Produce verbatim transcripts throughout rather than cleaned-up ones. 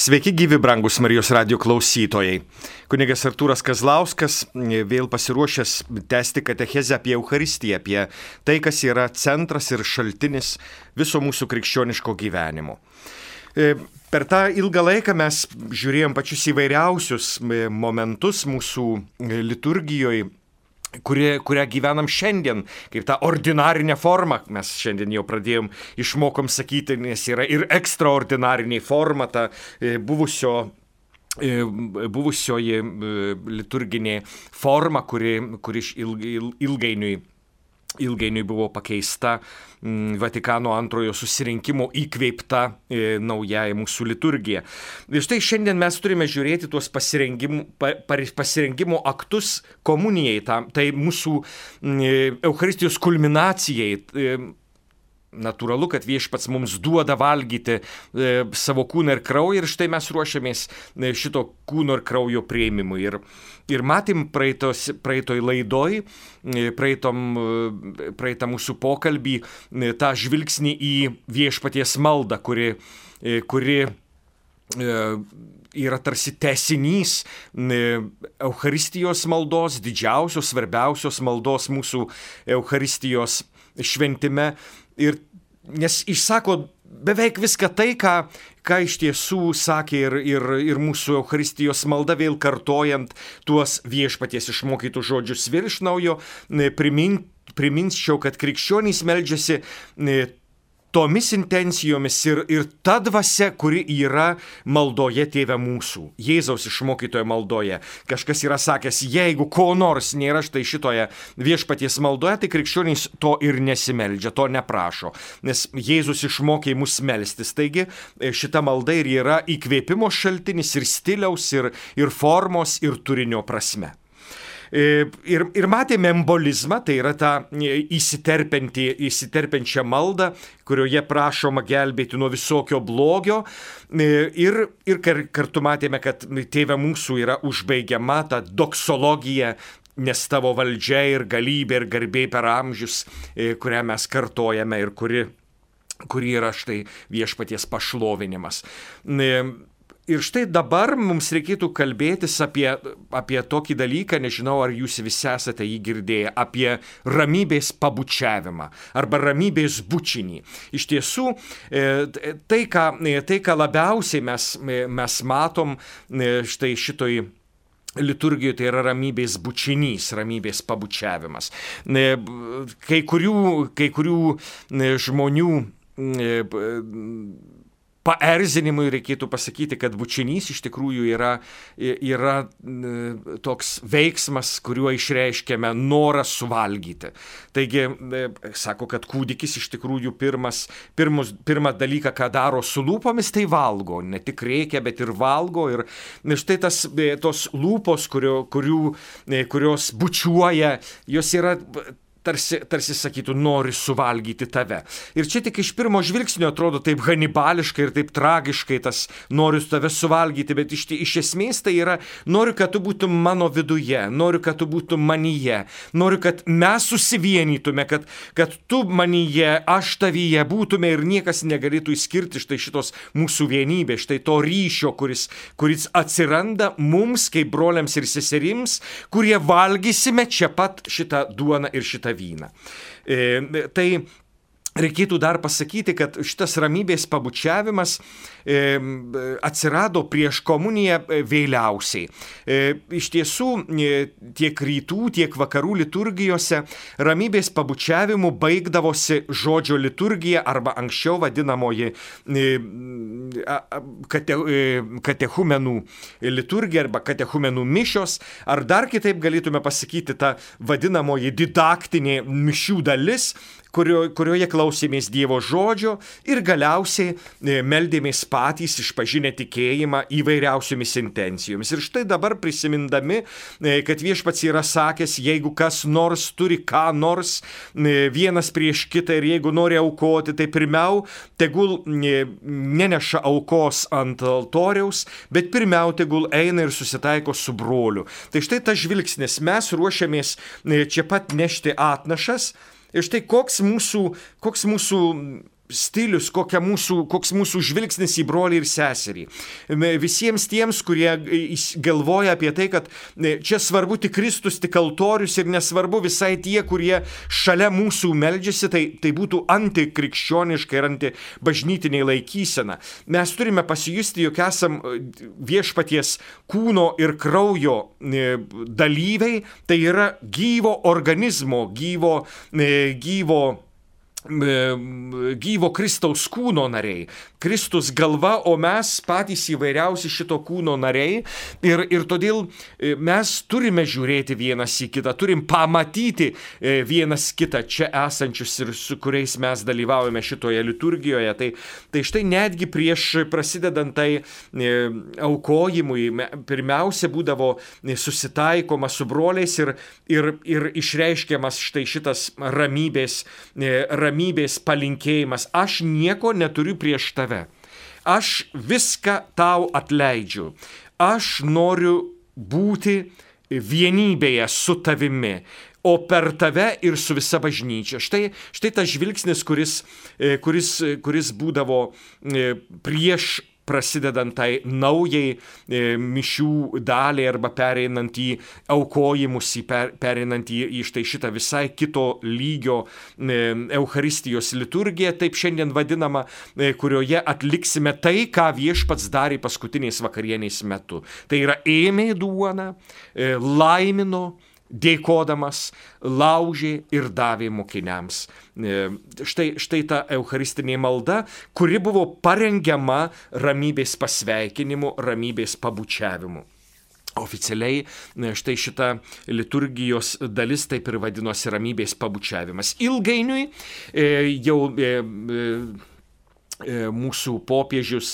Sveiki gyvi, brangus Marijos radijo klausytojai. Kunigas Artūras Kazlauskas vėl pasiruošęs tęsti katechezę apie Eucharistiją, apie tai, kas yra centras ir šaltinis viso mūsų krikščioniško gyvenimo. Per tą ilgą laiką mes žiūrėjom pačius įvairiausius momentus mūsų liturgijoje, Kurie, kurią gyvenam šiandien, kaip tą ordinarinę formą, mes šiandien jau pradėjom, išmokom sakyti, nes yra ir ekstraordinarinė forma, ta buvusio, buvusioji liturginė forma, kuri, kuri ilgainiui, ilgainiui buvo pakeista Vatikano antrojo susirinkimo įkvėpta e, naujai mūsų liturgija. Ir štai šiandien mes turime žiūrėti tuos pasirengimo, pa, pasirengimo aktus komunijai, tam, tai mūsų e, Eucharistijos kulminacijai. E, Natūralu, kad Viešpats mums duoda valgyti e, savo kūną ir kraują ir štai mes ruošiamės e, šito kūno ir kraujo priėmimui. Ir, ir matėm praeitos, praeitoj laidoj, e, praeitom, e, praeitą mūsų pokalbį, e, tą žvilgsnį į Viešpaties maldą, kuri, e, kuri e, yra tarsi tęsinys e, Eucharistijos maldos, didžiausios, svarbiausios maldos mūsų Eucharistijos šventime. Ir, nes išsako beveik viską tai, ką, ką iš tiesų sakė ir, ir, ir mūsų Eucharistijos malda, vėl kartojant tuos Viešpaties išmokytus žodžius vėl iš naujo, primin, priminčiau, kad krikščionys meldžiasi tomis intencijomis ir, ir ta dvasia, kuri yra maldoje Tėve mūsų, Jėzaus išmokytoje maldoje. Kažkas yra sakęs, jeigu ko nors nėra štai šitoje Viešpaties maldoje, tai krikščionys to ir nesimeldžia, to neprašo, nes Jėzus išmokė mus melstis. Taigi šita malda ir yra įkvėpimo šaltinis ir stiliaus, ir, ir formos, ir turinio prasme. Ir, ir matėme embolizmą, tai yra tą įsiterpiančią maldą, kurioje prašoma gelbėti nuo visokio blogio. Ir, ir kartu matėme, kad Tėve mūsų yra užbaigiama ta doksologija, nes tavo valdžia ir galybė ir garbė per amžius, kurią mes kartojame ir kuri, kuri yra štai Viešpaties pašlovinimas. Ir štai dabar mums reikėtų kalbėtis apie, apie tokį dalyką, nežinau, ar jūs visi esate jį girdėję, apie ramybės pabučiavimą arba ramybės bučinį. Iš tiesų, tai, ką, tai, ką labiausiai mes, mes matom štai šitoj liturgijoje, tai yra ramybės bučinys, ramybės pabučiavimas. Kai kurių, kai kurių žmonių paerzinimui reikėtų pasakyti, kad bučinys iš tikrųjų yra, yra toks veiksmas, kuriuo išreiškiame norą suvalgyti. Taigi, sako, kad kūdikis iš tikrųjų pirmas, pirmus, pirmą dalyką, ką daro su lūpomis, tai valgo. Ne tik reikia, bet ir valgo. Ir štai tas, tos lūpos, kurio, kurių, kurios bučiuoja, jos yra Tarsi, tarsi sakytų, nori suvalgyti tave. Ir čia tik iš pirmo žvilgsnio atrodo taip hanibališkai ir taip tragiškai tas noriu tave suvalgyti, bet iš, iš esmės tai yra noriu, kad tu būtum mano viduje, noriu, kad tu būtum manyje, noriu, kad mes susivienytume, kad, kad tu manyje, aš tavyje būtume ir niekas negalėtų išskirti štai šitos mūsų vienybės, štai to ryšio, kuris, kuris atsiranda mums kaip broliams ir seserims, kurie valgysime čia pat šitą duoną ir šitą vyną. E, tai reikėtų dar pasakyti, kad šitas ramybės pabučiavimas e, atsirado prieš komuniją vėliausiai. E, iš tiesų, e, tiek rytų, tiek vakarų liturgijose ramybės pabučiavimu baigdavosi žodžio liturgija arba anksčiau vadinamoji e, kate, e, katechumenų liturgija arba katechumenų mišios, ar dar kitaip galėtume pasakyti tą vadinamoji didaktinė mišių dalis, kurio, kurioje klausėmės Dievo žodžio ir galiausiai meldėmės patys išpažinę tikėjimą įvairiausiomis intencijomis. Ir štai dabar prisimindami, kad Viešpats yra sakęs, jeigu kas nors turi ką nors vienas prieš kitą ir jeigu nori aukoti, tai pirmiau tegul neneša aukos ant altoriaus, bet pirmiau tegul eina ir susitaiko su broliu. Tai štai tas žvilgsnis, mes ruošiamės čia pat nešti atnašas. Ir štai koks mūsų, koks mūsų stilius, kokia mūsų, koks mūsų žvilgsnis į brolį ir seserį. Visiems tiems, kurie galvoja apie tai, kad čia svarbu tik Kristus, tik altorius ir nesvarbu visai tie, kurie šalia mūsų meldžiasi, tai, tai būtų antikrikščioniška ir antibažnytinė laikysena. Mes turime pasijusti, jog esam viešpaties kūno ir kraujo dalyviai, tai yra gyvo organizmo, gyvo, gyvo gyvo Kristaus kūno nariai. Kristus galva, o mes patys įvairiausi šito kūno nariai ir, ir todėl mes turime žiūrėti vienas į kitą, turim pamatyti vienas kitą čia esančius ir su kuriais mes dalyvaujame šitoje liturgijoje. Tai, tai štai netgi prieš prasidedant tai aukojimui pirmiausia būdavo susitaikoma su broliais ir, ir, ir išreiškiamas štai šitas ramybės, ramybės palinkėjimas. Aš nieko neturiu prieš tave. Aš viską tau atleidžiu. Aš noriu būti vienybėje su tavimi, o per tave ir su visa bažnyčia. Štai, štai tas žvilgsnis, kuris, kuris, kuris būdavo prieš prasidedant tai naujai e, mišių daliai arba pereinant į aukojimus, į per, pereinant į, į štai šitą visai kito lygio e, Eucharistijos liturgiją, taip šiandien vadinama, e, kurioje atliksime tai, ką viešpats darė paskutiniais vakarieniais metu. Tai yra ėmė duoną, e, laimino, dėkodamas, laužė ir davė mokiniams. Štai, štai ta eucharistinė malda, kuri buvo parengiama ramybės pasveikinimu, ramybės pabučiavimu. Oficialiai štai šita liturgijos dalis taip ir vadinosi ramybės pabučiavimas. Ilgainiui jau mūsų popiežius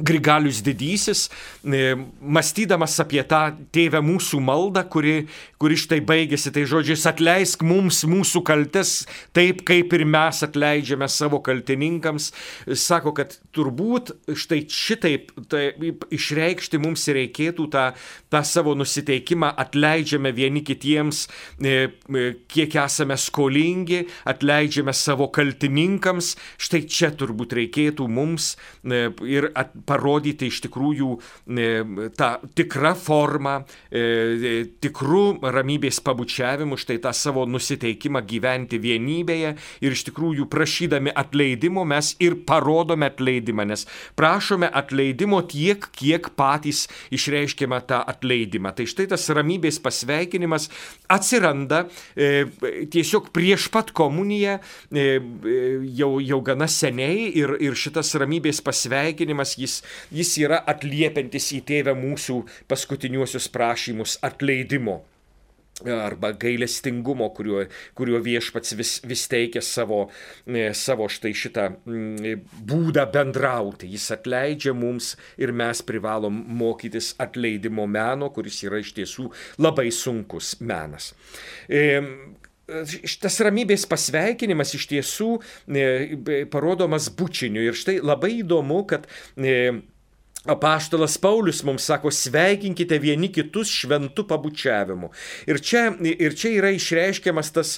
Grigalius Didysis, mąstydamas apie tą Tėve mūsų maldą, kuri, kuri štai baigėsi tai žodžiais atleisk mums mūsų kaltes, taip kaip ir mes atleidžiame savo kaltininkams, sako, kad turbūt štai šitaip tai, išreikšti mums reikėtų tą, tą savo nusiteikimą, atleidžiame vieni kitiems, kiek esame skolingi, atleidžiame savo kaltininkams, štai čia turbūt reikėtų mums ir at, parodyti iš tikrųjų e, tą tikrą formą, e, tikrų ramybės pabučiavimų, štai tą savo nusiteikimą gyventi vienybėje ir iš tikrųjų prašydami atleidimo mes ir parodome atleidimą, nes prašome atleidimo tiek, kiek patys išreiškime tą atleidimą. Tai štai tas ramybės pasveikinimas atsiranda e, tiesiog prieš pat komuniją e, jau, jau gana seniai ir, ir šitas ramybės pasveikinimas jis Jis yra atliepiantis į Tėvę mūsų paskutiniuosius prašymus atleidimo arba gailestingumo, kuriuo, kuriuo viešpats vis, vis teikia savo, savo štai šitą būdą bendrauti. Jis atleidžia mums ir mes privalom mokytis atleidimo meno, kuris yra iš tiesų labai sunkus menas. E, Šitas ramybės pasveikinimas iš tiesų e, parodomas bučiniu. Ir štai labai įdomu, kad e, apaštalas Paulius mums sako, sveikinkite vieni kitus šventu pabučiavimu. Ir čia, ir čia yra išreiškiamas tas,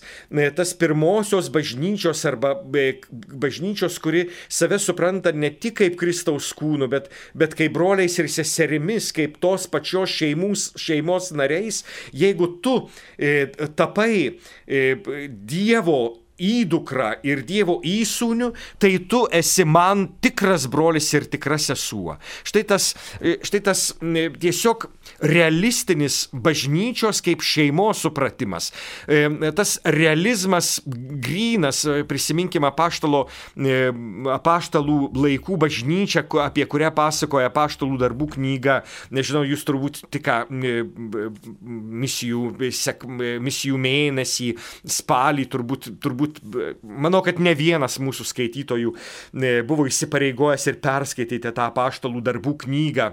tas pirmosios bažnyčios arba bažnyčios, kuri save supranta ne tik kaip Kristaus kūnu, bet, bet kaip broliais ir seserimis, kaip tos pačios šeimos, šeimos nariais. Jeigu tu e, tapai e, Dievo įdukra ir Dievo įsūniu, tai tu esi man tikras brolis ir tikra sesuo. Štai tas, štai tas tiesiog realistinis bažnyčios kaip šeimos supratimas. Tas realizmas grynas, prisiminkime apaštalo, apaštalų laikų bažnyčią, apie kurią pasakoja apaštalų darbų knyga. Nežinau, jūs turbūt tik misijų, sek, misijų mėnesį, spalį, turbūt, turbūt manau, kad ne vienas mūsų skaitytojų buvo įsipareigojęs ir perskaityti tą apaštalų darbų knygą.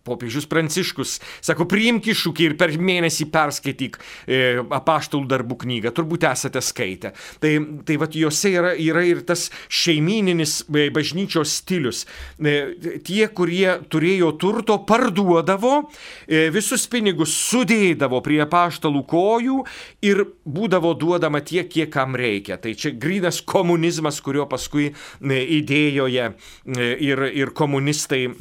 popiežius Pranciškus sako, priimk iššūkį ir per mėnesį perskaityk e, apaštalų darbų knygą, turbūt esate skaitę. Tai, tai vat juose yra, yra ir tas šeimyninis e, bažnyčios stilius. E, tie, kurie turėjo turto, parduodavo, e, visus pinigus sudėdavo prie apaštalų kojų ir būdavo duodama tiek, kiek kam reikia. Tai čia grynas komunizmas, kurio paskui e, idėjoje e, ir, ir komunistai e,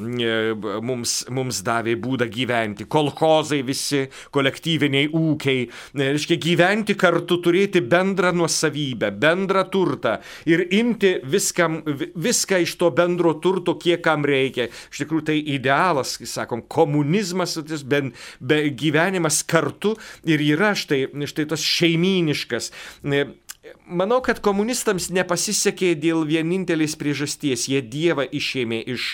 mums, mums davė būdą gyventi. Kolchozai visi, kolektyviniai ūkiai, reiškia gyventi kartu, turėti bendrą nuosavybę, bendrą turtą ir imti viskam, viską iš to bendro turto, kiek kam reikia. Iš tikrųjų, tai idealas, sakom, komunizmas, ben, be, gyvenimas kartu ir yra štai, štai tas šeimyniškas. Manau, kad komunistams nepasisekė dėl vienintelės priežasties. Jie Dievą išėmė iš,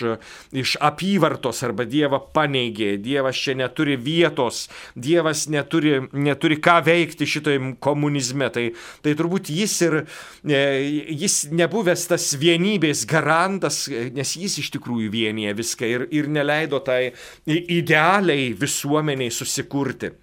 iš apyvartos arba Dievą paneigė. Dievas čia neturi vietos, Dievas neturi, neturi ką veikti šitoj komunizme. Tai, tai turbūt jis ir jis nebuvęs tas vienybės garantas, nes jis iš tikrųjų vienyje viską ir, ir neleido tai idealiai visuomeniai susikurti.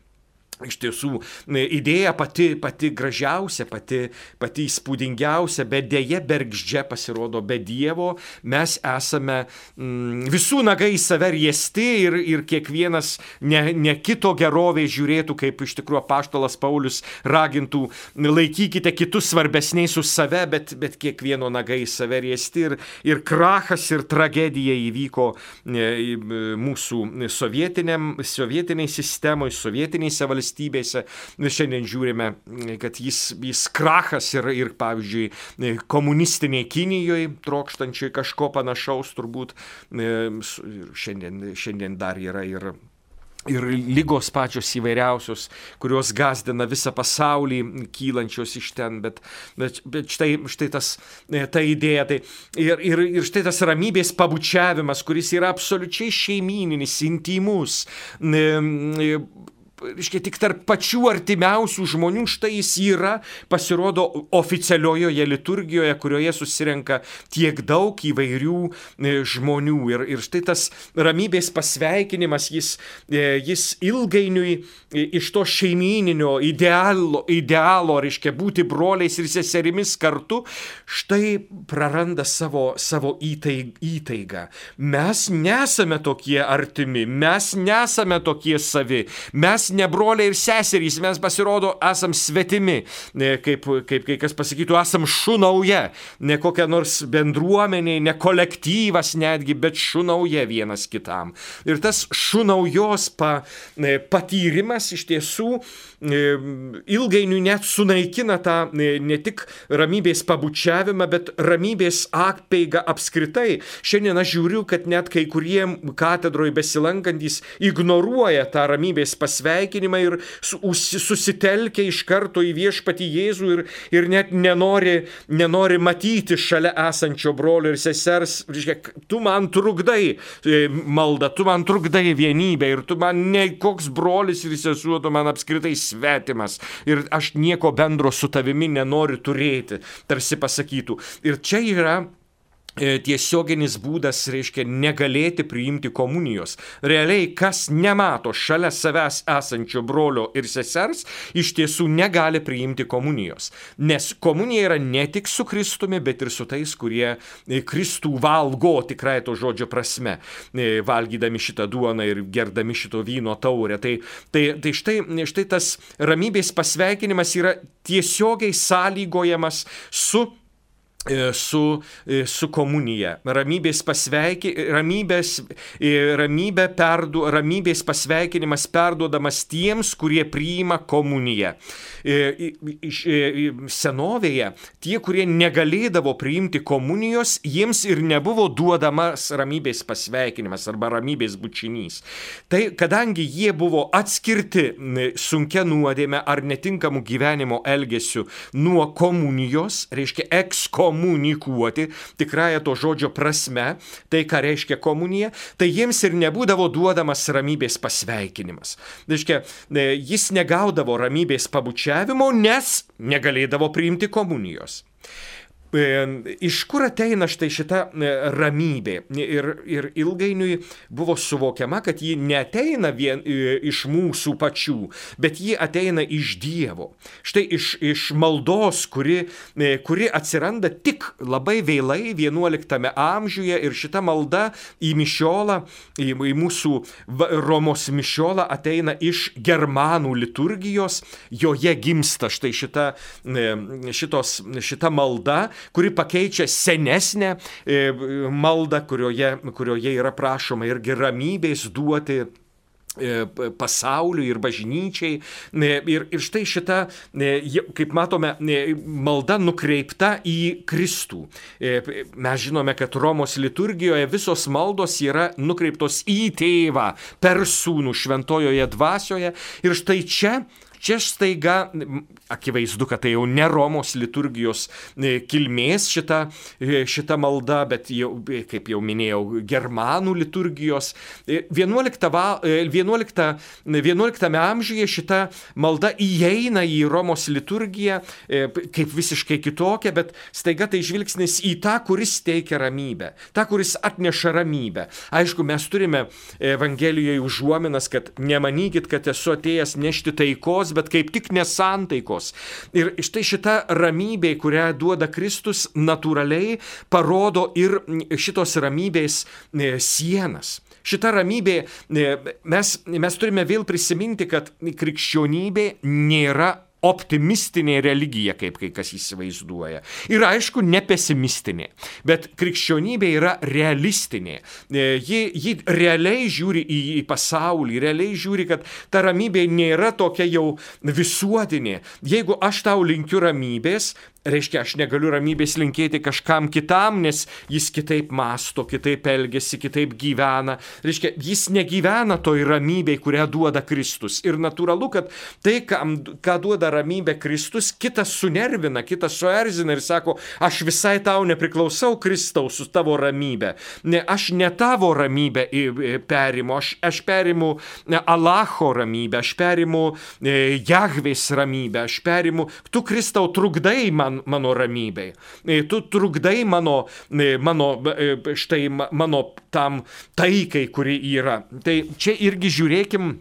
Iš tiesų, idėja pati, pati gražiausia, pati, pati įspūdingiausia, bet dėja bergždžia pasirodo be Dievo. Mes esame mm, visų nagai į save riesti ir, ir kiekvienas ne, ne kito gerovė žiūrėtų, kaip iš tikrųjų apaštalas Paulius ragintų, laikykite kitus svarbesniais už save, bet, bet kiekvieno nagai į save riesti. Ir, ir krachas ir tragedija įvyko e, mūsų sovietiniai sistemai, sovietinėse valstybėse. Valstybėse. Šiandien žiūrime, kad jis, jis krachas ir, ir, pavyzdžiui, komunistiniai Kinijoje, trokštančiai kažko panašaus turbūt. Šiandien, šiandien dar yra ir, ir lygos pačios įvairiausios, kurios gazdina visą pasaulį, kylančios iš ten. Bet, bet, bet štai, štai tas, ta idėja. Tai, ir, ir, ir štai tas ramybės pabučiavimas, kuris yra absoliučiai šeimyninis, intymus. Reiškia, tik tarp pačių artimiausių žmonių, štai jis yra, pasirodo, oficialiojoje liturgijoje, kurioje susirenka tiek daug įvairių žmonių. Ir, ir štai tas ramybės pasveikinimas, jis, jis ilgainiui iš to šeimyninio idealo, idealo, reiškia, būti broliais ir seserimis kartu, štai praranda savo, savo įtaig, įtaigą. Mes nesame tokie artimi, mes nesame tokie savi, mes ne broliai ir seserys, mes pasirodo esam svetimi, kaip, kaip kai kas pasakytų, esam šunauja, ne kokia nors bendruomenė, ne kolektyvas netgi, bet šunauja vienas kitam. Ir tas šunaujos pa, patyrimas iš tiesų ilgainiui net sunaikina tą ne tik ramybės pabučiavimą, bet ramybės apeigą apskritai. Šiandien aš žiūriu, kad net kai kurie katedroje besilankantys ignoruoja tą ramybės pasveikinimą ir susitelkia iš karto į viešpatį Jėzų ir, ir net nenori, nenori matyti šalia esančio brolio ir sesers. Tu man trukdai maldą, tu man trukdai vienybę ir tu man ne koks brolis ir sesuo, tu man apskritai svetimas ir aš nieko bendro su tavimi nenoriu turėti, tarsi pasakytų. Ir čia yra tiesioginis būdas, reiškia, negalėti priimti komunijos. Realiai, kas nemato šalia savęs esančio brolio ir sesers, iš tiesų negali priimti komunijos. Nes komunija yra ne tik su Kristumi, bet ir su tais, kurie Kristų valgo tikrai to žodžio prasme, valgydami šitą duoną ir gerdami šito vyno taurę. Tai, tai, tai štai, štai tas ramybės pasveikinimas yra tiesiogiai sąlygojamas su Su, su komunija. Ramybės, pasveiki, ramybės, ramybė perdu, ramybės pasveikinimas perduodamas tiems, kurie priima komuniją. Senovėje tie, kurie negalėdavo priimti komunijos, jiems ir nebuvo duodamas ramybės pasveikinimas arba ramybės bučinys. Tai kadangi jie buvo atskirti sunkia nuodėme ar netinkamų gyvenimo elgesių nuo komunijos, reiškia ekskomunijos, komunikuoti, tikrąją to žodžio prasme, tai ką reiškia komunija, tai jiems ir nebūdavo duodamas ramybės pasveikinimas. Reiškia, jis negaudavo ramybės pabučiavimo, nes negalėdavo priimti komunijos. Iš kur ateina štai šita ramybė? Ir, ir ilgainiui buvo suvokiama, kad ji neateina vien iš mūsų pačių, bet ji ateina iš Dievo. Štai iš, iš maldos, kuri, kuri atsiranda tik labai vėlai vienuoliktame amžiuje, ir šita malda į mišiolą, į, į mūsų Romos mišiolą ateina iš germanų liturgijos, joje gimsta štai šita, šitos, šita malda, kuri pakeičia senesnę maldą, kurioje, kurioje yra prašoma irgi ramybės duoti pasauliui ir bažnyčiai. Ir, ir štai šita, kaip matome, malda nukreipta į Kristų. Mes žinome, kad Romos liturgijoje visos maldos yra nukreiptos į Tėvą per Sūnų šventojoje dvasioje. Ir štai čia Čia staiga, akivaizdu, kad tai jau ne Romos liturgijos kilmės šita, šita malda, bet jau, kaip jau minėjau, germanų liturgijos. vienuoliktame amžiuje šita malda įeina į Romos liturgiją kaip visiškai kitokia, bet staiga tai žvilgsnis į tą, kuris teikia ramybę, tą, kuris atneša ramybę. Aišku, mes turime Evangelijoje užuominas, kad nemanykit, kad esu atėjęs nešti taikos, bet kaip tik nesantaikos. Ir štai šita ramybė, kurią duoda Kristus, natūraliai parodo ir šitos ramybės sienas. Šita ramybė, mes, mes turime vėl prisiminti, kad krikščionybė nėra optimistinė religija, kaip kai kas įsivaizduoja. Ir aišku, ne pesimistinė, bet krikščionybė yra realistinė. Ji, ji realiai žiūri į, į pasaulį, realiai žiūri, kad ta ramybė nėra tokia jau visuotinė. Jeigu aš tau linkiu ramybės, reiškia, aš negaliu ramybės linkėti kažkam kitam, nes jis kitaip mąsto, kitaip elgiasi, kitaip gyvena. Reiškia, jis negyvena toj ramybėj, kurią duoda Kristus. Ir natūralu, kad tai, kam, ką duoda ramybė Kristus, kitas sunervina, kitas suerzina ir sako, aš visai tau nepriklausau, Kristaus, su tavo ramybė. Ne, aš ne tavo ramybę perimu, aš, aš perimu Alacho ramybę, aš perimu Jahvės ramybę, aš perimu, tu, Kristau, trukdai man mano ramybei. Tu trukdai mano, mano, štai, mano tam taikai, kuri yra. Tai čia irgi žiūrėkim,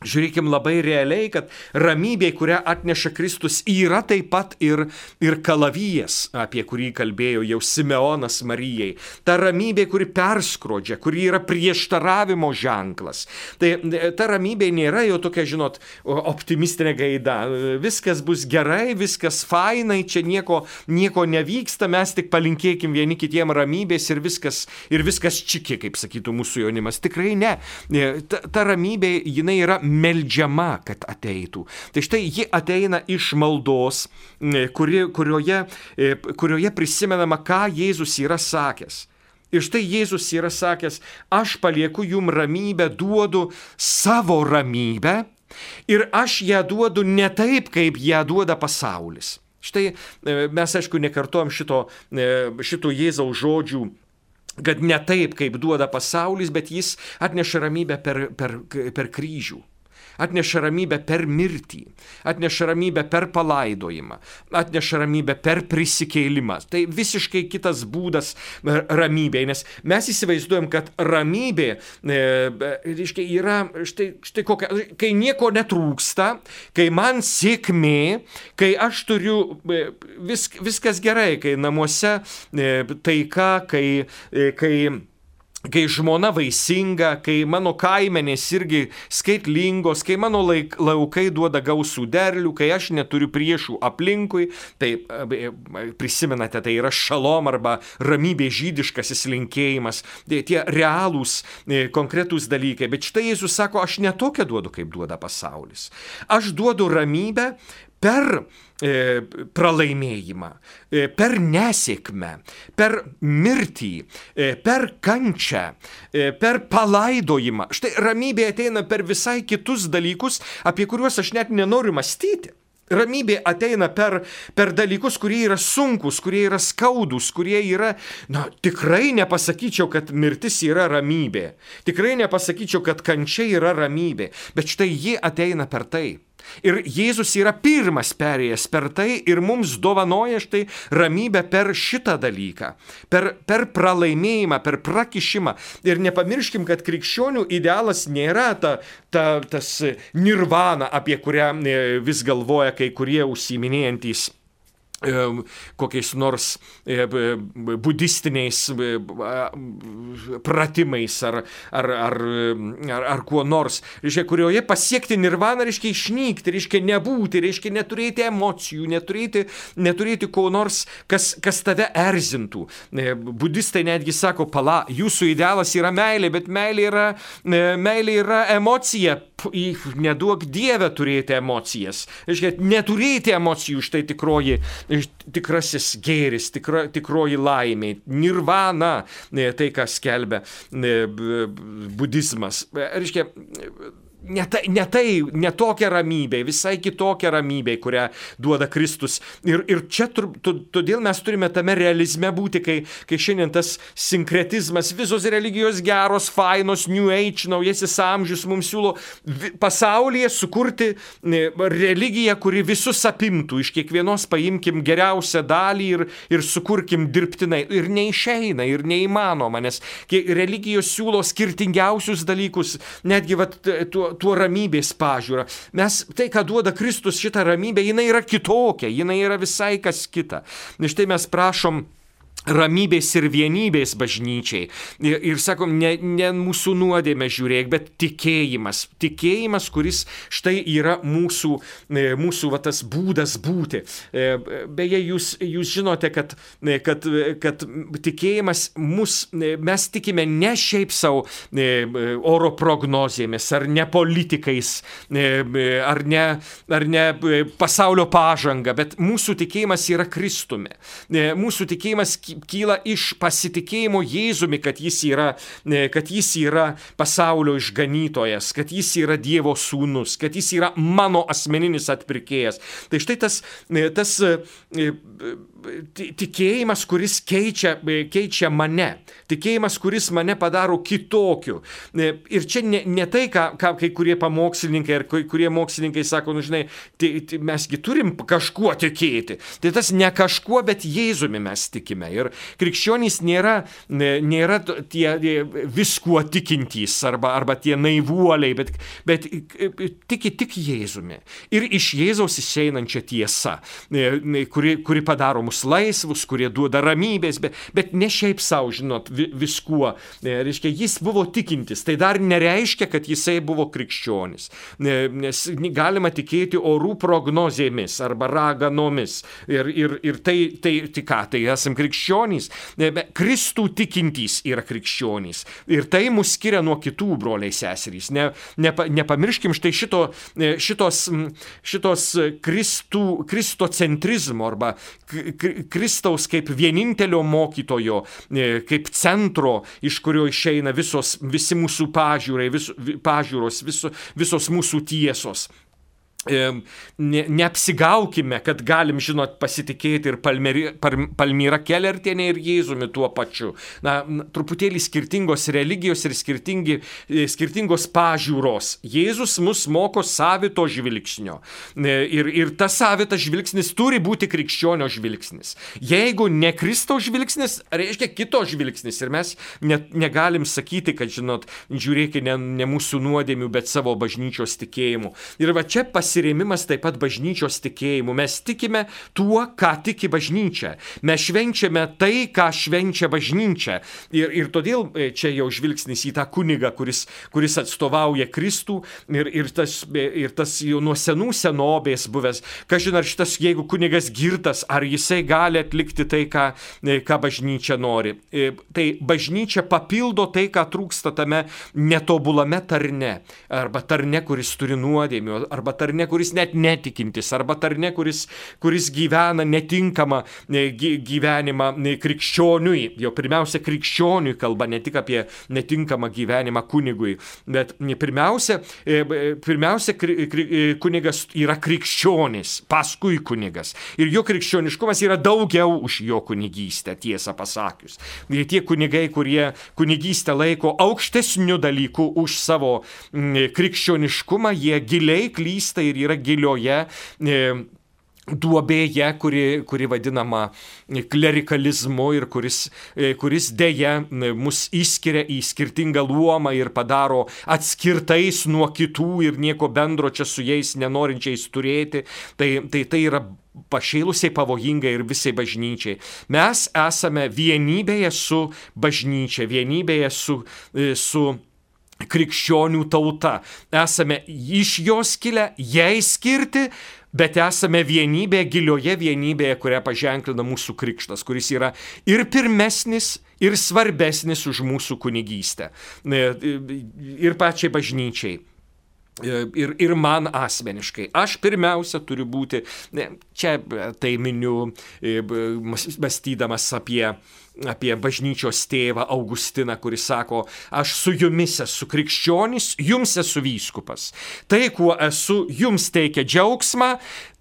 žiūrėkim labai realiai, kad ramybė, kurią atneša Kristus, yra taip pat ir, ir kalavijas, apie kurį kalbėjo jau Simeonas Marijai. Ta ramybė, kuri perskrodžia, kuri yra prieštaravimo ženklas. Tai ta ramybė nėra jau tokia, žinot, optimistinė gaida. Viskas bus gerai, viskas fainai, čia nieko, nieko nevyksta, mes tik palinkėkim vieni kitiem ramybės ir viskas, ir viskas čiki, kaip sakytų mūsų jaunimas. Tikrai ne. Ta, ta ramybė, jinai yra meldžiama, kad ateitų. Tai štai ji ateina iš maldos, kuri, kurioje, kurioje prisimenama, ką Jėzus yra sakęs. Ir štai Jėzus yra sakęs, aš palieku jum ramybę, duodu savo ramybę ir aš ją duodu ne taip, kaip ją duoda pasaulis. Štai mes, aišku, nekartojam šito, šito Jėzaus žodžių, kad ne taip, kaip duoda pasaulis, bet jis atneša ramybę per, per, per kryžių. Atneša ramybę per mirtį, atneša ramybę per palaidojimą, atneša ramybę per prisikėlimą. Tai visiškai kitas būdas ramybėje, nes mes įsivaizduojam, kad ramybė e, reiškia, yra štai, štai kokia, kai nieko netrūksta, kai man sėkmė, kai aš turiu e, vis, viskas gerai, kai namuose e, taika, kai, e, kai kai žmona vaisinga, kai mano kaimenės irgi skaitlingos, kai mano laik, laukai duoda gausų derlių, kai aš neturiu priešų aplinkui, tai prisimenate, tai yra šalom arba ramybė žydiškasis linkėjimas, tai tie realūs, konkretūs dalykai. Bet štai Jėzus sako, aš netokią duodu, kaip duoda pasaulis. Aš duodu ramybę per e, pralaimėjimą, e, per nesėkmę, per mirtį, e, per kančią, e, per palaidojimą. Štai ramybė ateina per visai kitus dalykus, apie kuriuos aš net nenoriu mąstyti. Ramybė ateina per, per dalykus, kurie yra sunkus, kurie yra skaudus, kurie yra, na, tikrai nepasakyčiau, kad mirtis yra ramybė. Tikrai nepasakyčiau, kad kančia yra ramybė. Bet štai ji ateina per tai. Ir Jėzus yra pirmas perėjęs per tai ir mums dovanoja štai ramybę per šitą dalyką, per, per pralaimėjimą, per prakišimą. Ir nepamirškim, kad krikščionių idealas nėra ta, ta, tas nirvana, apie kurią vis galvoja kai kurie užsiiminėjantys kokiais nors budistiniais pratimais ar, ar, ar, ar, ar kuo nors, reiškia, kurioje pasiekti nirvaną reiškia išnykti, reiškia nebūti, reiškia neturėti emocijų, neturėti, neturėti ko nors, kas, kas tave erzintų. Budistai netgi sako, pala, jūsų idealas yra meilė, bet meilė yra, meilė yra emocija. Neduok Dieve turėti emocijas. Reiškia, neturėti emocijų, štai tikroji, tikrasis gėris, tikra, tikroji laimė, nirvana, tai, ką skelbia budizmas. Reiškia, Ne tai, ne tai, ne tokia ramybė, visai kitokia ramybė, kurią duoda Kristus. Ir, ir čia todėl mes turime tame realizme būti, kai, kai šiandien tas sinkretizmas, visos religijos geros, fainos, New Age, naujasis amžius mums siūlo pasaulyje sukurti religiją, kuri visus apimtų. Iš kiekvienos paimkim geriausią dalį ir, ir sukurkim dirbtinai. Ir neišeina, ir neįmanoma, nes religijos siūlo skirtingiausius dalykus, netgi vat, tuo tuo ramybės pažiūrą. Mes, tai, ką duoda Kristus, šitą ramybę, jinai yra kitokia, jinai yra visai kas kita. Štai mes prašom ramybės ir vienybės bažnyčiai. Ir, ir sakom, ne, ne mūsų nuodėmę žiūrėk, bet tikėjimas. Tikėjimas, kuris štai yra mūsų, mūsų va, tas būdas būti. Beje, jūs, jūs žinote, kad, kad, kad tikėjimas mus, mes tikime ne šiaip savo oro prognozėmis, ar ne politikais, ar ne, ar ne pasaulio pažanga, bet mūsų tikėjimas yra Kristumi. Mūsų tikėjimas kyla iš pasitikėjimo Jėzumi, kad jis yra, kad jis yra pasaulio išganytojas, kad jis yra Dievo sūnus, kad jis yra mano asmeninis atpirkėjas. Tai štai tas, tas tikėjimas, kuris keičia, keičia mane. Tikėjimas, kuris mane padaro kitokiu. Ir čia ne, ne tai, ką, ką kai kurie pamokslininkai ar kai kurie mokslininkai sako, nu žinai, tai, tai mesgi turim kažkuo tikėti. Tai tas ne kažkuo, bet Jėzumi mes tikime. Ir krikščionys nėra, nėra tie viskuo tikintys arba, arba tie naivuoliai, bet, bet tiki tik Jėzumi. Ir iš Jėzaus išeinančia tiesa, kuri, kuri padaro mus laisvus, kurie duoda ramybės, bet, bet ne šiaip savo, žinot, viskuo. Reiškia, jis buvo tikintis. Tai dar nereiškia, kad jisai buvo krikščionis. Nes galima tikėti orų prognozėmis arba raganomis. Ir, ir, ir tai, tai, tai ką, tai esam krikščionys. Kristų tikintys yra krikščionys. Ir tai mus skiria nuo kitų broliai seserys. Ne, nepa, nepamirškim štai šito, šitos, šitos Kristų, kristocentrizmo arba Kristaus kaip vienintelio mokytojo, kaip centro, iš kurio išeina visos, visi mūsų pažiūrai, vis, pažiūros, viso, visos mūsų tiesos. Ne, neapsigaukime, kad galim, žinot, pasitikėti ir Palmeri, Palmira Kelertienė ir Jėzumi tuo pačiu. Na, truputėlį skirtingos religijos ir skirtingi, skirtingos pažiūros. Jėzus mus moko savito žvilgsnio. Ir, ir tas savitas žvilgsnis turi būti krikščionio žvilgsnis. Jeigu ne Kristaus žvilgsnis, reiškia kito žvilgsnis. Ir mes ne, negalim sakyti, kad, žinot, žiūrėkite ne, ne mūsų nuodėmių, bet savo bažnyčios tikėjimu. Ir va čia pas Pasirėmimas taip pat bažnyčios tikėjimu. Mes tikime tuo, ką tiki bažnyčia. Mes švenčiame tai, ką švenčia bažnyčia. Ir, ir todėl čia jau žvilgsnis į tą kunigą, kuris, kuris atstovauja Kristų ir, ir, tas, ir tas jau nuo senų senovės buvęs. Kažin ar šitas, jeigu kunigas girtas, ar jisai gali atlikti tai, ką, ką bažnyčia nori. Tai bažnyčia papildo tai, ką trūksta tame netobulame tarne. Arba tarne, kuris turi nuodėmių, arba tarne, kuris net netikintis, arba tarne, kuris, kuris gyvena netinkamą gyvenimą krikščioniui. Jo pirmiausia, krikščioniui kalba, ne tik apie netinkamą gyvenimą kunigui, bet pirmiausia, pirmiausia kunigas yra krikščionis, paskui kunigas. Ir jo krikščioniškumas yra daugiau už jo kunigystę, tiesą pasakius. Ir tie kunigai, kurie kunigystę laiko aukštesniu dalyku už savo krikščioniškumą, jie giliai klysta ir vienybė ir yra gilioje duobėje, kuri, kuri vadinama klerikalizmu ir kuris, kuris dėja mus įskiria į skirtingą luomą ir padaro atskirtais nuo kitų ir nieko bendro čia su jais nenorinčiais turėti. Tai tai, tai yra pašėlusiai pavojinga ir visai bažnyčiai. Mes esame vienybėje su bažnyčia, vienybėje su, su krikščionių tauta. Esame iš jos kilę, jai skirti, bet esame vienybė, gilioje vienybėje, kurią paženklina mūsų krikštas, kuris yra ir pirmesnis, ir svarbesnis už mūsų kunigystę. Ir pačiai bažnyčiai. Ir, ir man asmeniškai. Aš pirmiausia turiu būti, čia tai miniu, mąstydamas apie apie bažnyčios tėvą Augustiną, kuris sako, aš su jumis esu krikščionis, jums esu vyskupas. Tai, kuo esu, jums teikia džiaugsmą,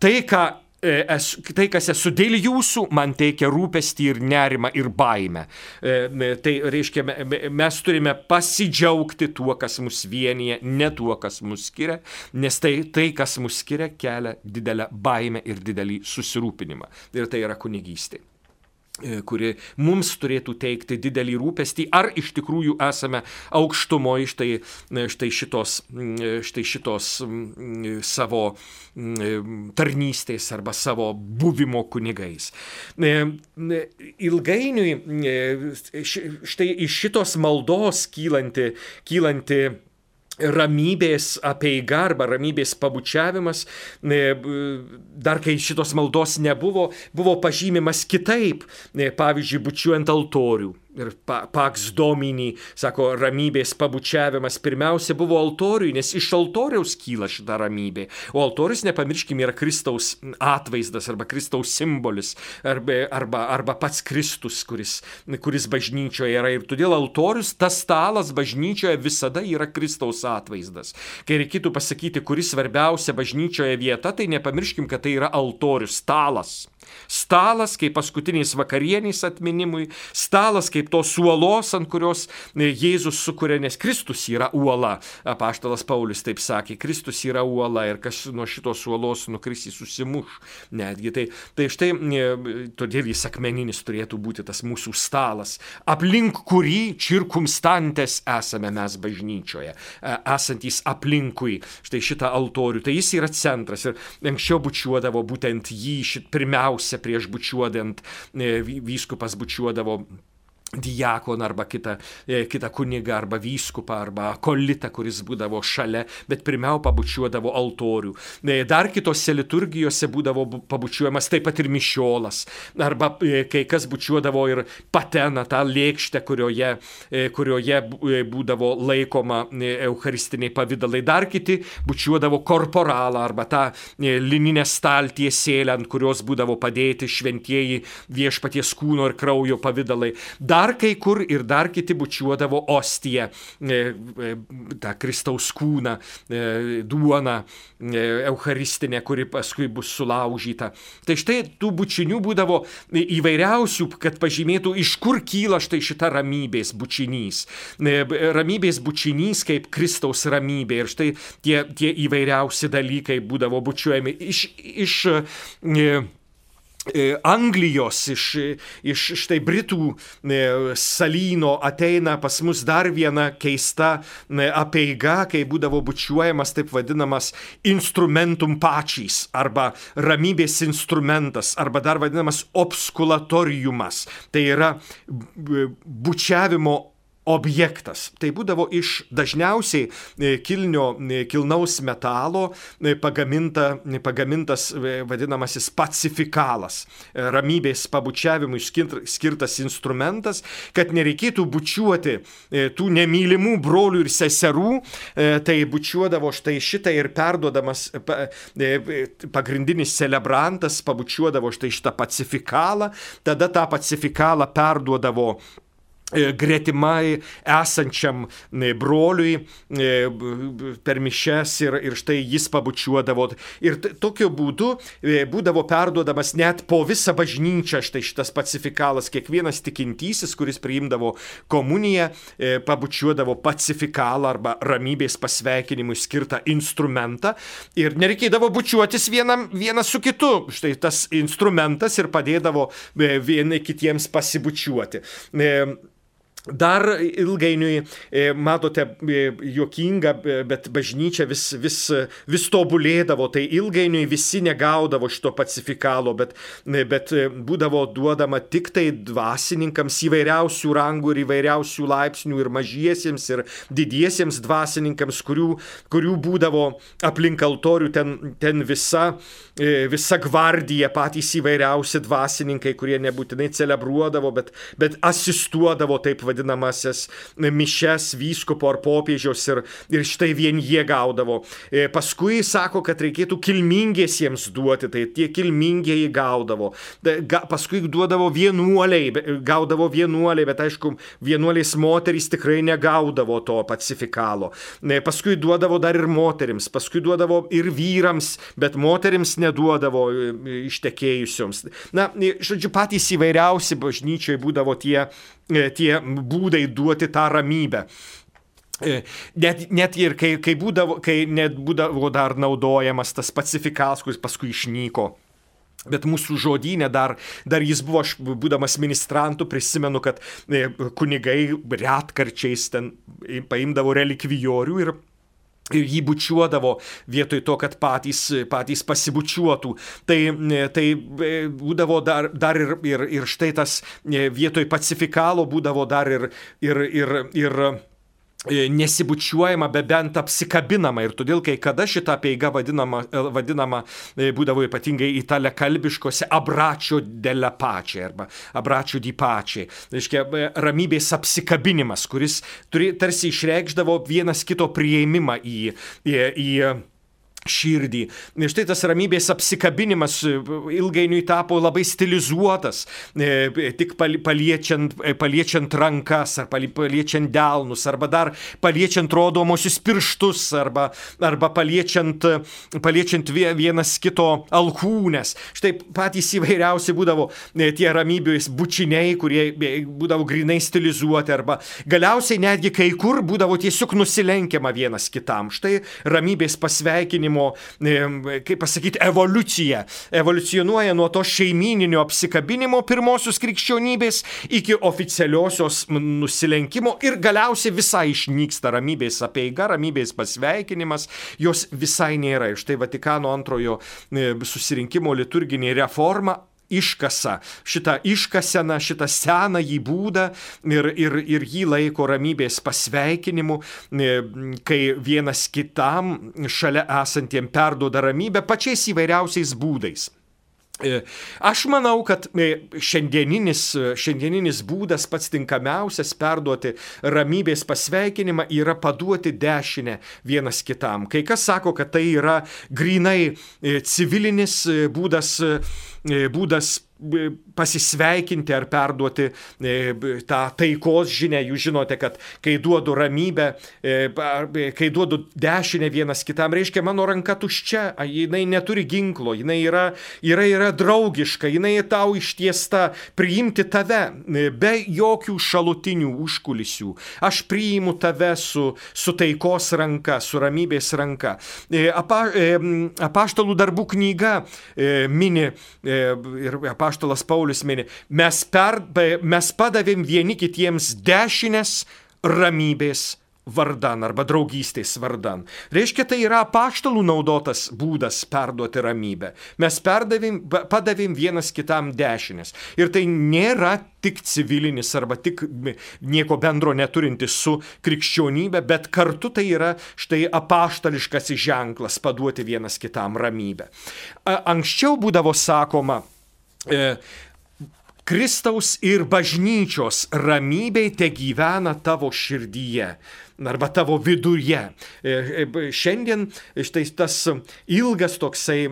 tai, ką esu, tai kas esu dėl jūsų, man teikia rūpestį ir nerimą ir baimę. Tai reiškia, mes turime pasidžiaugti tuo, kas mus vienyje, ne tuo, kas mus skiria, nes tai, tai kas mus skiria, kelia didelę baimę ir didelį susirūpinimą. Ir tai yra kunigystė, kuri mums turėtų teikti didelį rūpestį, ar iš tikrųjų esame aukštumoje štai, štai, šitos, štai šitos savo tarnystės arba savo buvimo kunigais. Ilgainiui štai iš šitos maldos kylanti, kylanti ramybės apeiga arba ramybės pabučiavimas, dar kai šitos maldos nebuvo, buvo pažymimas kitaip, pavyzdžiui, bučiuojant altorių. Ir Pax Domini, sako, ramybės pabučiavimas pirmiausia buvo altoriui, nes iš altoriaus kyla šita ramybė. O altorius, nepamirškime, yra Kristaus atvaizdas arba Kristaus simbolis, arba, arba, arba pats Kristus, kuris, kuris bažnyčioje yra. Ir todėl altorius, tas stalas bažnyčioje visada yra Kristaus atvaizdas. Kai reikėtų pasakyti, kuris svarbiausia bažnyčioje vieta, tai nepamirškim, kad tai yra altorius, stalas. Stalas kaip paskutiniais vakarieniais atminimui, stalas kaip tos uolos, ant kurios Jėzus sukuria, nes Kristus yra uola. Apaštalas Paulius taip sakė, Kristus yra uola ir kas nuo šitos uolos nukris jis susimuš. Netgi tai, tai štai todėl jis akmeninis turėtų būti tas mūsų stalas, aplink kurį cirkumstantes esame mes bažnyčioje, esantys aplinkui štai šitą altorių. Tai jis yra centras ir anksčiau bučiuodavo būtent jį šit pirmiausia prieš bučiuodant, vyskupas bučiuodavo diakoną arba kitą, kitą kunigą arba vyskupą arba akolitą, kuris būdavo šalia, bet pirmiau pabučiuodavo altorių. Dar kitose liturgijose būdavo pabučiuojamas taip pat ir mišiolas, arba kai kas bučiuodavo ir pateną, tą lėkštę, kurioje, kurioje būdavo laikoma eucharistiniai pavydalai. Dar kiti bučiuodavo korporalą arba tą lininę staltiesėlę, ant kurios būdavo padėti šventieji viešpaties kūno ir kraujo pavydalai. Dar Dar kai kur ir dar kiti bučiuodavo ostiją, tą Kristaus kūną, duoną eucharistinę, kuri paskui bus sulaužyta. Tai štai tų bučinių būdavo įvairiausių, kad pažymėtų, iš kur kyla štai šita ramybės bučinys. Ramybės bučinys kaip Kristaus ramybė. Ir štai tie, tie įvairiausi dalykai būdavo bučiuojami iš... iš Anglijos, iš, iš štai Britų salyno ateina pas mus dar viena keista apeiga, kai būdavo bučiuojamas taip vadinamas instrumentum pačys arba ramybės instrumentas arba dar vadinamas obskulatoriumas. Tai yra bučiavimo objektas. Tai būdavo iš dažniausiai kilnio, kilnaus metalo pagaminta, pagamintas vadinamasis pacifikalas, ramybės pabučiavimui skirtas instrumentas, kad nereikėtų bučiuoti tų nemylimų brolių ir seserų, tai bučiuodavo štai šitą ir perduodamas pagrindinis celebrantas pabučiuodavo štai šitą pacifikalą, tada tą pacifikalą perduodavo gretimai esančiam broliui per mišias ir, ir štai jis pabučiuodavo. Ir tokiu būdu būdavo perduodamas net po visą bažnyčią štai šitas pacifikalas. Kiekvienas tikintysis, kuris priimdavo komuniją, pabučiuodavo pacifikalą arba ramybės pasveikinimui skirtą instrumentą. Ir nereikėdavo bučiuotis vienam, vienas su kitu. Štai tas instrumentas ir padėdavo vieni kitiems pasibučiuoti. Dar ilgainiui, matote, juokinga, bet bažnyčia vis, vis, vis tobulėdavo, tai ilgainiui visi negaudavo šito pacifikalo, bet, bet būdavo duodama tik tai dvasininkams įvairiausių rangų ir įvairiausių laipsnių ir mažiesiems ir didiesiems dvasininkams, kurių, kurių būdavo aplink altorių ten, ten visa, visa gvardija, patys įvairiausi dvasininkai, kurie nebūtinai celebruodavo, bet, bet asistuodavo taip vadinamasis mišes vyskupo ar popiežiaus ir, ir štai vien jie gaudavo. Paskui sako, kad reikėtų kilmingiesiems duoti, tai tie kilmingieji gaudavo. Paskui duodavo vienuoliai, gaudavo vienuoliai, bet aišku, vienuoliais moterys tikrai negaudavo to pacifikalo. Paskui duodavo dar ir moterims, paskui duodavo ir vyrams, bet moterims neduodavo ištekėjusioms. Na, žodžiu, patys įvairiausi bažnyčioje būdavo tie tie būdai duoti tą ramybę. Net, net ir kai, kai, būdavo, kai net būdavo dar naudojamas tas pacifikalas, kuris paskui išnyko. Bet mūsų žodyne dar, dar jis buvo, aš būdamas ministrantu, prisimenu, kad kunigai retkarčiais ten paimdavo relikvijorių ir ir jį bučiuodavo vietoj to, kad patys, patys pasibučiuotų. Tai, tai būdavo dar, dar ir, ir, ir štai tas vietoj pacifikalo būdavo dar ir, ir, ir, ir nesibučiuojama, be bent apsikabinama. Ir todėl, kai kada šita apeiga vadinama, vadinama būdavo ypatingai italiakalbiškose abračio della pace arba abračio di pace. Reiškia, ramybės apsikabinimas, kuris turi, tarsi išreikšdavo vienas kito priėmimą į, į, į širdį. Štai tas ramybės apsikabinimas ilgainiui tapo labai stilizuotas, tik paliečiant, paliečiant rankas, ar paliečiant delnus, arba dar paliečiant rodomosius pirštus, arba, arba paliečiant, paliečiant vienas kito alkūnes. Štai patys įvairiausi būdavo tie ramybės bučiniai, kurie būdavo grinai stilizuoti, arba galiausiai netgi kai kur būdavo tiesiog nusilenkiama vienas kitam. Štai ramybės pasveikinimo, kaip pasakyti, evoliucija. Evoliucionuoja nuo to šeimyninio apsikabinimo pirmosios krikščionybės iki oficialiosios nusilenkimo ir galiausiai visai išnyksta ramybės apeiga, ramybės pasveikinimas, jos visai nėra. Ir štai Vatikano antrojo susirinkimo liturginė reforma iškasa šitą iškaseną, šitą senąjį būdą ir, ir, ir jį laiko ramybės pasveikinimu, kai vienas kitam šalia esantiem perduoda ramybę pačiais įvairiausiais būdais. Aš manau, kad šiandieninis, šiandieninis būdas pats tinkamiausias perduoti ramybės pasveikinimą yra paduoti dešinę vienas kitam. Kai kas sako, kad tai yra grynai civilinis būdas, būdas pasisveikinti ar perduoti tą taikos žinią. Jūs žinote, kad kai duodu ramybę, kai duodu dešinę vienas kitam, reiškia mano ranka tuščia, jinai neturi ginklo, jinai yra, yra, yra draugiška, jinai tau ištiesta priimti tave be jokių šalutinių užkulisių. Aš priimu tave su, su taikos ranka, su ramybės ranka. Apa, apaštalų darbų knyga mini ir apaštalų Apaštalas Paulius mini, mes, per, mes padavėm vieni kitiems dešinės ramybės vardan arba draugystės vardan. Reiškia, tai yra apaštalų naudotas būdas perduoti ramybę. Mes perdavėm, padavėm vienas kitam dešinės. Ir tai nėra tik civilinis arba tik nieko bendro neturintis su krikščionybė, bet kartu tai yra štai apaštališkas ženklas paduoti vienas kitam ramybę. Anksčiau būdavo sakoma, Kristaus ir bažnyčios ramybė te gyvena tavo širdyje arba tavo viduje. Šiandien štai tas ilgas toksai,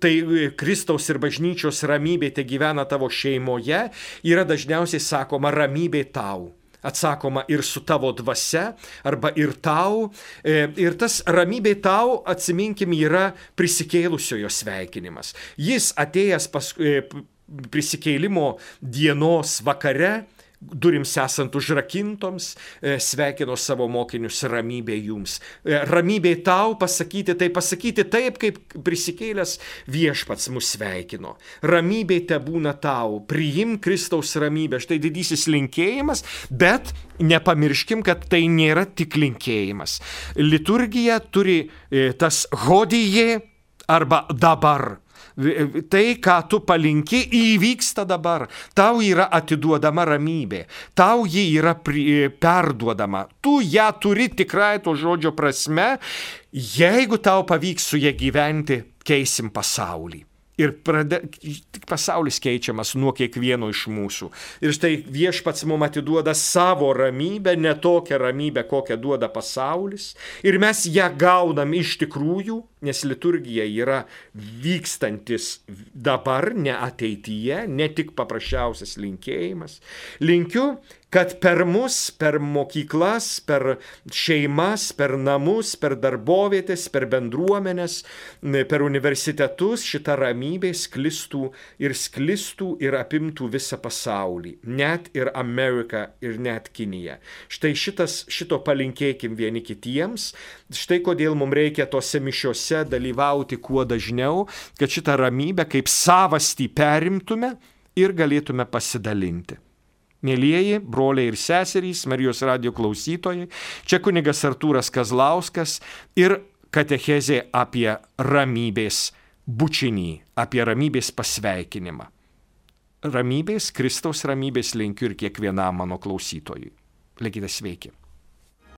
tai Kristaus ir bažnyčios ramybė te gyvena tavo šeimoje, yra dažniausiai sakoma ramybė tau. atsakoma ir su tavo dvasia, arba ir tau. Ir tas ramybė tau, atsiminkim, yra prisikėlusiojo sveikinimas. Jis atėjęs pas, prisikėlimo dienos vakare, durims esant užrakintoms, sveikino savo mokinius ramybė jums. Ramybė tau pasakyti, tai pasakyti taip, kaip prisikėlęs viešpats mus sveikino. Ramybė te būna tau, priimk Kristaus ramybę. Štai didysis linkėjimas, bet nepamirškim, kad tai nėra tik linkėjimas. Liturgija turi tas hodijė arba dabar. Tai, ką tu palinki, įvyksta dabar. Tau yra atiduodama ramybė. Tau ji yra perduodama. Tu ją turi tikrai to žodžio prasme. Jeigu tau pavyks su ją gyventi, keisim pasaulį. Ir prade, pasaulis keičiamas nuo kiekvieno iš mūsų. Ir štai viešpats mums atiduoda savo ramybę, ne tokią ramybę, kokią duoda pasaulis. Ir mes ją gaunam iš tikrųjų, nes liturgija yra vykstantis dabar, ne ateityje, ne tik paprasčiausias linkėjimas. Linkiu, kad per mus, per mokyklas, per šeimas, per namus, per darbovietės, per bendruomenės, per universitetus šita ramybė sklistų ir sklistų ir apimtų visą pasaulį, net ir Ameriką ir net Kiniją. Štai šitas, šito palinkėkim vieni kitiems, štai kodėl mums reikia tose mišiose dalyvauti kuo dažniau, kad šitą ramybę kaip savastį perimtume ir galėtume pasidalinti. Mėlieji broliai ir seserys, Marijos radijo klausytojai, čia kunigas Artūras Kazlauskas ir katechezė apie ramybės bučinį, apie ramybės pasveikinimą. Ramybės, Kristaus ramybės linkiu ir kiekvienam mano klausytojui. Likite sveiki.